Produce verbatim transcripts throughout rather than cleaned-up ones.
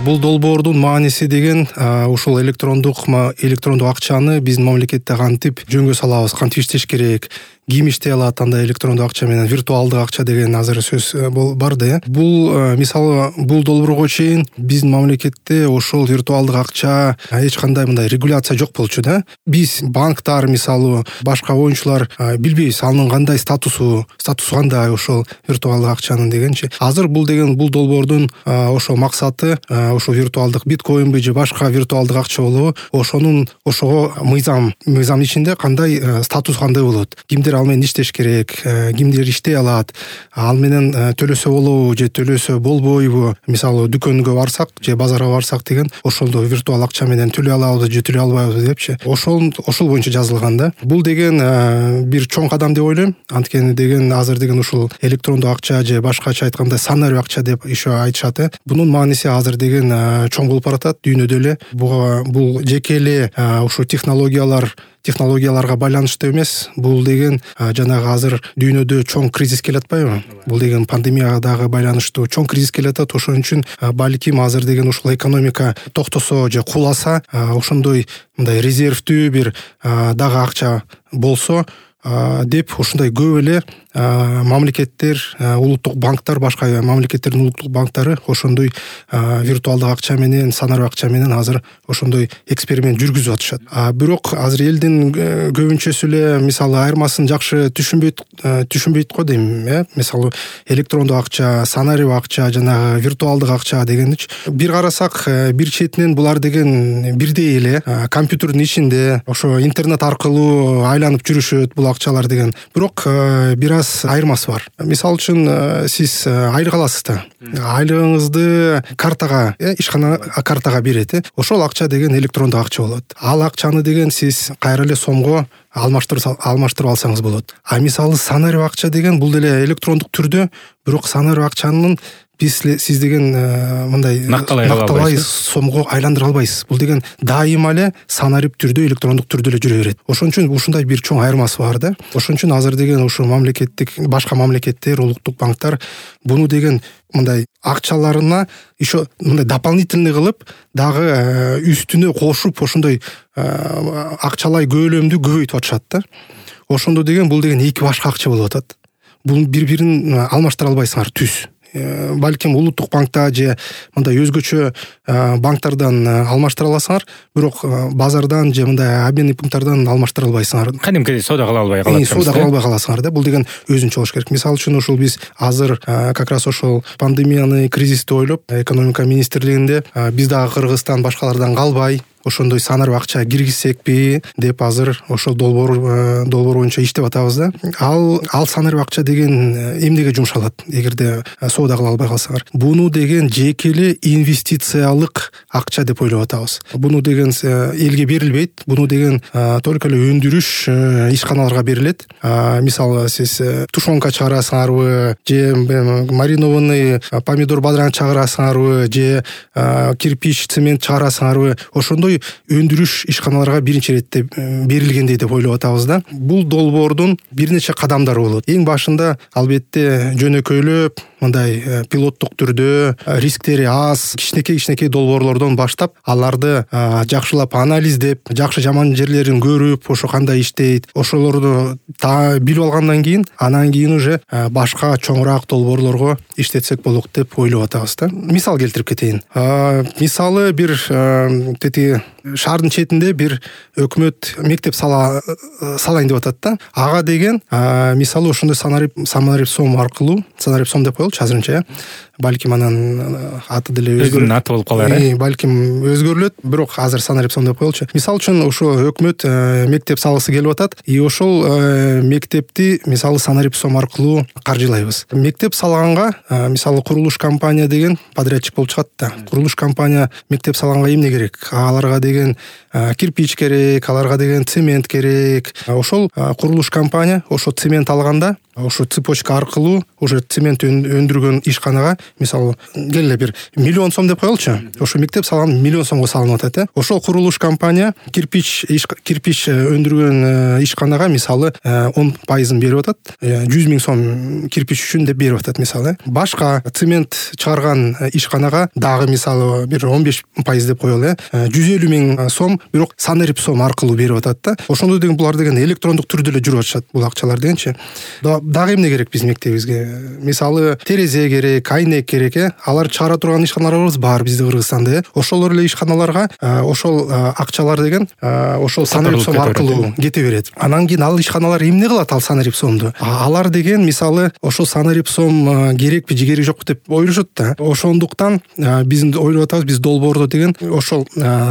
бул долбоордун мааниси деген ушул электрондук электрондук акчаны биздин мамлекетте кантип жөнгө салабыз, кантип иштеш керек, ким иштей алат андай электрондук акча менен, виртуалдык акча деген азыр сөз бар да. Бул мисалы бул долбоорго чейин биздин мамлекетте ошол виртуалдык акча эч кандай мындай регуляция жок болчу да. Биз банктар мисалы башка оюнчулар билбейбиз анын кандай статусу, статусу кандай ошол виртуалдык акчанын дегенчи. Азыр бул деген бул долбоордун ошол максаты ошол виртуалдык биткоинби же башка виртуалдык акча болобу, ошонун ошого мыйзам мыйзам ичинде кандай статус кандай болот, кимдер ал менен иштеш керек, кимдер иштей алат, ал менен төлөсө болобу же төлөсө болбойбу, мисалы дүкөнгө барсак же базарга барсак деген ошондо виртуал акча менен төлөй алабызбы же төлөй албайбызбы депчи, ошол ошол боюнча жазылган да. Бул деген бир чоң кадам деп ойлойм, анткени деген азыр деген ушул электрондук акча же башкача айтканда санарио акча деп еще айтышат. Бунун мааниси азыр деген чоң болуп баратат дүйнөдө эле. Бул жеке эле ушул технологиялар технологияларга байланыштуу эмес. Бул деген жанагы азыр дүйнөдө чоң кризис келе атпайбы? Бул деген пандемияга дагы байланыштуу чоң кризис келе атат. Ошон үчүн балким азыр деген ушул экономика токтосо же куласа, ошондой мындай резервдүү бир дагы акча болсо деп ушундай көп эле мамлекеттер, улуттук банктар, башка мамлекеттердин улуттук банктары ошондой виртуалдык акча менен, санарио акча менен азыр ошондой эксперимент жүргүзүп атышат. Бирок азыр элдин көбүнчөсү эле мисалы айырмасын жакшы түшүнбөйт түшүнбөйт го дейм, э? Мисалы электрондук акча, санарио акча, жанагы виртуалдык акча дегеничи бир карасак, бир четинен булар деген бирдей эле компьютердин ичинде ошо интернет аркылуу айланып жүрүшөт бул акчалар деген. Бирок бир аз айырмасы бар. Мисалы үчүн сиз айлык аласыз да. Айлыгыңызды картага, ишкана картага берет. Ошол акча деген электрондук акча болот. Ал акчаны деген сиз кайра эле сомго алмаштырып алмаштырып алсаңыз болот. А мисалы санарио акча деген бул деле электрондук түрдө, бирок санарио акчанын биз сиз деген мындай накталай сомго айландыра албайсыз. Бул деген дайыма эле санарип түрдө, электрондук түрдө эле жүрө берет. Ошон үчүн ушундай бир чоң айырмасы бар да. Ошон үчүн азыр деген ушу мамлекеттик, башка мамлекеттер, улуттук банктар буну деген мындай акчаларына еще мындай дополнительный кылып, дагы үстүнө кошуп ошондой акчалай көлөмдү көбөйтүп атышат да. Ошондо деген бул деген эки башка акча болуп атат. Бул бири-бирин алмаштыра албайсыңар түз. Балким улуттук банкта же мындай өзгөчө банктардан алмаштыра аласыңар, бирок базардан же мындай обменный пункттардан алмаштыра албайсыңар. Кадимкидей соода кыла албай калат. Соода кыла албай каласыңар да. Бул деген өзүнчө болуш керек. Мисалы үчүн ушул биз азыр как раз ошол пандемияны, кризисти ойлоп, экономика министрлигинде биз дагы Кыргызстан башкалардан калбай ошондой санарио акча киргизсекпи деп азыр ошол долбоор долбоор боюнча иштеп атабыз да. Ал ал санарио акча деген эмнеге жумшалат эгерде соода кыла албай калсаңар? Буну деген жеке эле инвестициялык акча деп ойлоп атабыз. Буну деген элге берилбейт. Буну деген только эле өндүрүш ишканаларга берилет. Мисалы сиз тушенка чыгарасыңарбы, же маринованный помидор бадыран чыгарасыңарбы, же кирпич, цемент чыгарасыңарбы, ошондой өндүрүш ишканаларга биринчи иретте берилгендей деп ойлоп атабыз да. Бул долбоордун бир нече кадамдары болот. Эң башында албетте жөнөкөйлөп, мындай пилоттук түрдө, рисктери аз, кичинекей-кичинекей долбоорлордон баштап, аларды жакшылап анализдеп, жакшы жаман жерлерин көрүп, ошо кандай иштейт, ошолорду билип алгандан кийин, анан кийин уже башка чоңураак долбоорлорго иштетсек болот деп ойлоп атабыз да. Мисал келтирип кетейин. Мисалы бир тети шаардын четинде бир өкмөт мектеп сала салайын деп атат да. Ага деген мисалы ошондой санарип санарип сом аркылуу, санарип сом деп коелучу азырынча, балким анан аты деле өзгөрүп аты болуп калар, э? Балким өзгөрүлөт, бирок азыр санарип сом деп коелучу. Мисалы үчүн ошо өкмөт мектеп салгысы келип атат, и ошол мектепти мисалы санарип сом аркылуу каржылайбыз. Мектеп салганга мисалы курулуш компания деген подрядчик болуп чыгат да. Курулуш компания мектеп салганга эмне керек? Аларга деген кирпич керек, аларга деген цемент керек. Ошол курулуш компания ошо цемент алганда, ошо цепочка аркылуу уже цемент өндүргөн ишканага мисалы келе бир миллион сом деп коелучу, ошо мектеп салган миллион сомго салынып атат э ошол курулуш компания кирпич кирпич өндүргөн ишканага мисалы он пайызын берип атат, жүз миң сом кирпич үчүн деп берип атат мисалы. Башка цемент чыгарган ишканага дагы мисалы бир он беш пайыз деп коелу э жүз элүү миң сом бирок санарипсом аркылуу берип атат да. Ошондо деген булар деген электрондук түрдө эле жүрүп атышат бул акчалар дегенчи. Дагы эмне керек биздин мектебибизге? Мисалы терезе керек, айнек керек э алар чыгара турган ишканаларыбыз бар бизде Кыргызстанда э ошолор эле ишканаларга ошол акчалар деген ошол санарипсом аркылуу кете берет. Анан кийин ал ишканалар эмне кылат ал санарипсомду? Алар деген мисалы ошол санарипсом керекпи же кереги жокпу деп ойлошот да. Ошондуктан биз ойлоп атабыз, биз долбоордо деген ошол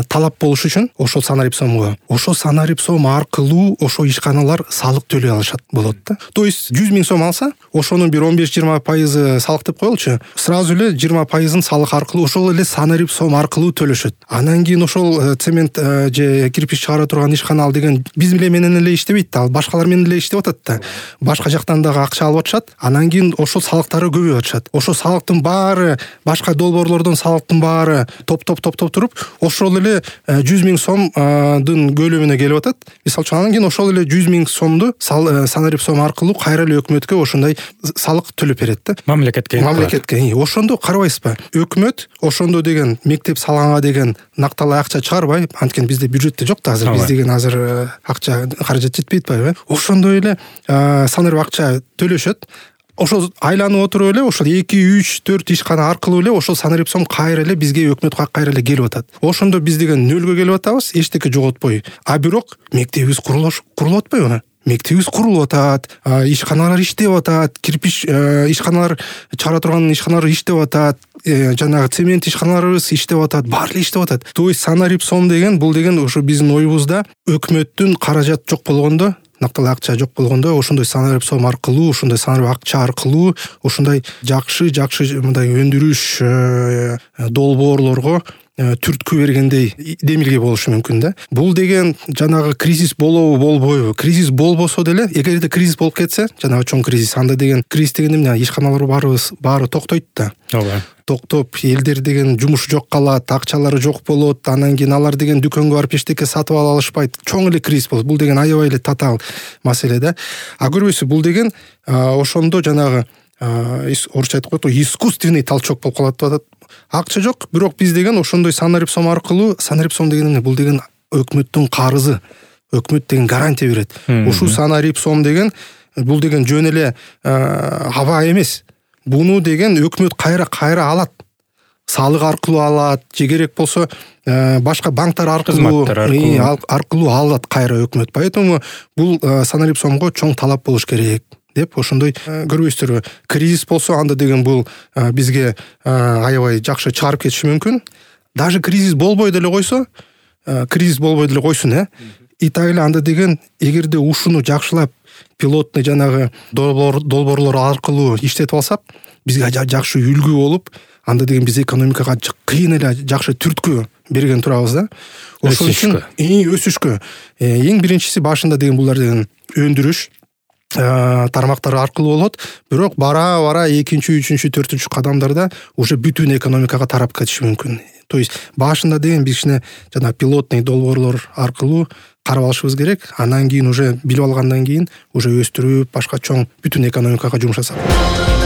талап болуш үчүн ошол санарипсомго ошол санарипсом аркылуу ошол ишканалар салык төлөй алышат болот да. То есть жүз миң сом алса, ошонун бир он беш жыйырма пайызы салык деп коелучу, сразу эле жыйырма пайызын салык аркылуу ошол эле санарипсом аркылуу төлөшөт. Анан кийин ошол цемент же кирпич чыгара турган ишкана ал деген биз менен эле иштебейт да, ал башкалар менен эле иштеп атат да. Башка жактан дагы акча алып атышат. Анан кийин ошол салыктары көбөйүп атышат. Ошол салыктын баары, башка долбоорлордон салыктын баары топ-топ топ-топ туруп, ошол эле жүз миң сомдун көлөмүнө келип атат. Мисалы үчүн анан кийин ошол эле жүз миң сомду санарипсом аркылуу кайра эле өкмөткө ошондой салык төлөп берет да. Мамлекетке. Мамлекетке. Ошондо карабайсызбы? Өкмөт ошондо деген мектеп салганга деген накталай акча чыгарбай, анткени бизде бюджетте жок да азыр, биз деген азыр акча каражат жетпей атпайбы? Ошондой эле санарип акча төлөшөт. Ошол айланып отуруп эле ошол эки үч төрт ишкана аркылуу эле ошол санарипсом кайра эле бизге өкмөткө кайра эле келип атат. Ошондо биз деген нөлгө келип атабыз, эчтеке жоготпой. А бирок мектебибиз курулуш курулуп атпайбы? Мектебибиз курулуп атат, ишканалар иштеп атат, кирпич ишканалар чыгара турган ишканалар иштеп атат, жанагы цемент ишканаларыбыз иштеп атат, баары эле иштеп атат. То есть санарипсом деген бул деген ошо биздин оюбузда өкмөттүн каражат жок болгондо, накталай акча жок болгондо ошондой санарипсом аркылуу, ошондой санарип акча аркылуу ошондой жакшы жакшы мындай өндүрүш долбоорлорго түрткү бергендей демилге болушу мүмкүн да. Бул деген жанагы кризис болобу болбойбу? Кризис болбосо деле, эгерде кризис болуп кетсе, жанагы чоң кризис, анда деген кризис деген эмне? Ишканалар баарыбыз баары токтойт да. Ооба. Токтоп, элдер деген жумушу жок калат, акчалары жок болот, анан кийин алар деген дүкөнгө барып эчтеке сатып ала алышпайт. Чоң эле кризис болот. Бул деген аябай эле татаал маселе да. А көрбөйсүз, бул деген ошондо жанагы орусча айтып коет го, искусственный толчок болуп калат деп атат. Акча жок, бирок биз деген ошондой санарипсом аркылуу, санарипсом деген эмне? Бул деген өкмөттүн карызы. Өкмөт деген гарантия берет. Ушул санарипсом деген бул деген жөн эле аба эмес. Буну деген өкмөт кайра кайра алат. Салык аркылуу алат, же керек болсо башка банктар аркылуу аркылуу алат кайра өкмөт. Поэтому бул санарипсомго чоң талап болуш керек деп ошондой көрбөйсүздарбы? Кризис болсо анда деген бул бизге аябай жакшы чыгарып кетиши мүмкүн. Даже кризис болбой деле койсо, кризис болбой деле койсун э. И так эле анда деген эгерде ушуну жакшылап пилотный жанагы долбоорлор аркылуу иштетип алсак, бизге жакшы үлгү болуп, анда деген биз экономикага кыйын эле жакшы түрткү берген турабыз да. Ошол үчүн өсүшкө эң биринчиси башында деген булар деген өндүрүш тармактары аркылуу болот, бирок бара бара экинчи, үчүнчү, төртүнчү кадамдарда уже бүтүн экономикага тарап кетиши мүмкүн. То есть башында деген биз кичине жана пилотный долбоорлор аркылуу карап алышыбыз керек. Анан кийин уже билип алгандан кийин уже өстүрүп, башка чоң бүтүн экономикага жумшасак.